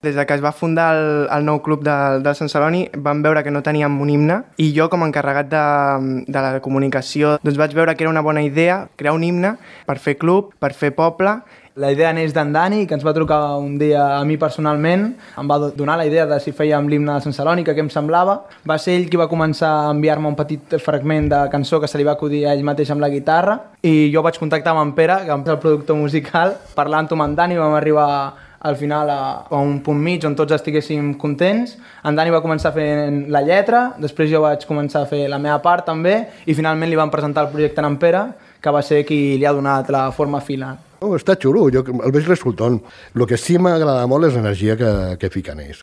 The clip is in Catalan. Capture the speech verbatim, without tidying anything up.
Des de que es va fundar el, el nou club de, de Sant Celoni vam veure que no teníem un himne i jo com a encarregat de, de la comunicació doncs vaig veure que era una bona idea crear un himne per fer club, per fer poble. La idea neix d'en Dani, que ens va trucar un dia a mi personalment, em va donar la idea de si fèiem l'himne de Sant Celoni, que què em semblava. Va ser ell qui va començar a enviar-me un petit fragment de cançó que se li va acudir a ell mateix amb la guitarra i jo vaig contactar amb en Pere, que és el productor musical, parlant-ho amb en Dani vam arribar al final a, a un punt mig on tots estiguéssim contents. En Dani va començar fent la lletra, després jo vaig començar a fer la meva part també i finalment li vam presentar el projecte a en Pere, que va ser qui li ha donat la forma final. Oh, està xulo, jo el veig resultant. El que sí m'agrada molt és l'energia que, que fiquen ells.